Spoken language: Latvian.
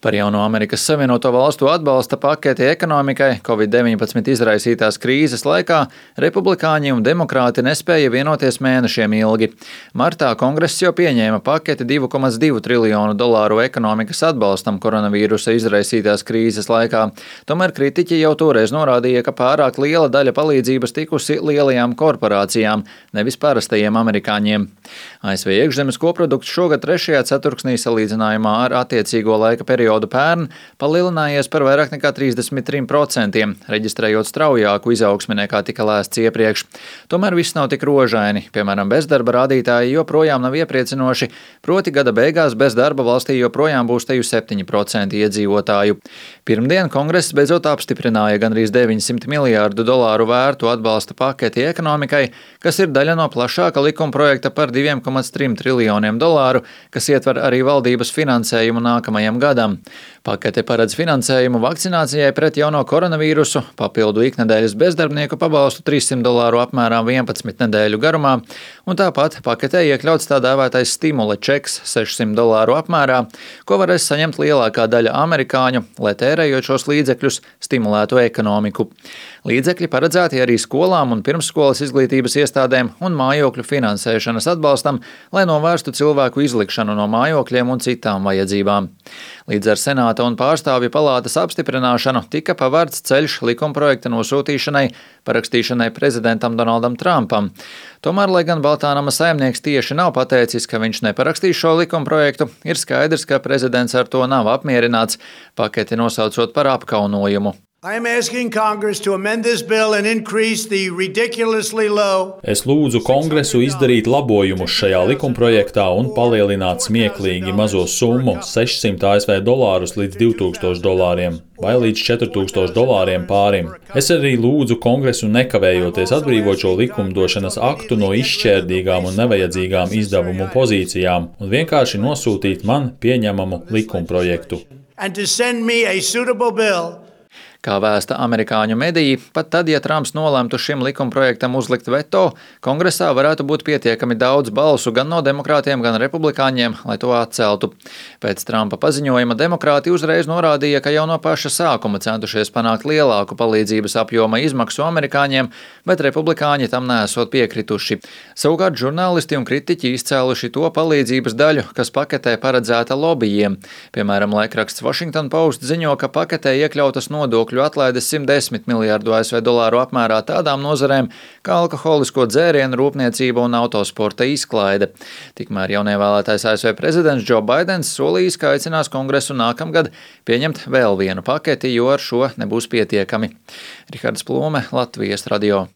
Par jauno Amerikas Savienoto Valstu atbalsta paketi ekonomikai Covid-19 izraisītās krīzes laikā republikāņi un demokrāti nespēja vienoties mēnešiem ilgi. Martā Kongress jau pieņēma paketi $2,2 triljonu ekonomikas atbalstam koronavīrusa izraisītās krīzes laikā. Tomēr kritiķi jau toreiz norādīja, ka pārāk liela daļa palīdzības tikusi lielajām korporācijām, nevis parastajiem amerikāņiem. ASV iekšzemes koprodukts šogad 3. ceturksnī salīdzinājumā ar attiecīgo laika periodu pērn palielinājies par vairāk nekā 33%, reģistrējot straujāku izaugsmi nekā tika lēsts iepriekš. Tomēr viss nav tik rožaini. Piemēram, bezdarba rādītāji joprojām nav iepriecinoši, proti gada beigās bez darba valstī joprojām būs teju 7% iedzīvotāju. Pirmdien Kongress beidzot apstiprināja gandrīz $900 miljārdu vērtu atbalsta paketi ekonomikai, kas ir daļa no plašāka likumprojekta par $2,3 triljoniem, kas ietver arī valdības finansējumu nākamajam gadam. Pakete paredz finansējumu vakcinācijai pret jauno koronavīrusu, papildu iknedēļas bezdarbnieku pabalstu $300 apmērā 11 nedēļu garumā, un tāpat paketē iekļauts tā dēvētais stimula čeks $600 apmērā, ko varēs saņemt lielākā daļa amerikāņu, lai tērējot šos līdzekļus stimulētu ekonomiku. Līdzekļi paredzēti arī skolām un pirmsskolas izglītības iestādēm un mājokļu finansēšanas atbalstam, lai novērstu cilvēku izlikšanu no mājokļiem un citām vajadzībām. Līdz ar Senāta un Pārstāvju palātas apstiprināšanu tika pavērts ceļš likumprojekta nosūtīšanai, parakstīšanai prezidentam Donaldam Trumpam. Tomēr, lai gan Baltā nama saimnieks tieši nav pateicis, ka viņš neparakstīs šo likumprojektu, ir skaidrs, ka prezidents ar to nav apmierināts, paketi nosaucot par apkaunojumu. Es lūdzu Kongresu izdarīt labojumus šajā likumprojektā un palielināt smieklīgi mazo summu $600 ASV līdz $2,000 vai līdz $4,000 pārim. Es arī lūdzu Kongresu nekavējoties atbrīvot šo likumdošanas aktu no izšķērdīgām un nevajadzīgām izdevumu pozīcijām un vienkārši nosūtīt man pieņemamu likumprojektu. Kā vēsta amerikāņu mediji, pat tad, ja Trumps nolemtu šim likumprojektam uzlikt veto, Kongresā varētu būt pietiekami daudz balsu gan no demokrātiem, gan republikāņiem, lai to atceltu. Pēc Trumpa paziņojuma demokrāti uzreiz norādīja, ka jau no paša sākuma centušies panākt lielāku palīdzības apjoma izmaksu amerikāņiem, bet republikāņi tam nesot piekrituši. Savukārt žurnālisti un kritiķi izcēluši to palīdzības daļu, kas paketē paredzēta lobbyiem. Piemēram, laikraksts Washington Post ziņo, ka paketē iekļautas nodokļu atlaides $110 miljārdu ASV apmērā tādām nozarēm kā alkoholisko dzērienu rūpniecība un autosporta izklaide. Tikmēr jaunievēlētais ASV prezidents Joe Baidens solījis, ka aicinās Kongresu nākamgad pieņemt vēl vienu paketi, jo ar šo nebūs pietiekami. Rihards Plūme, Latvijas radio.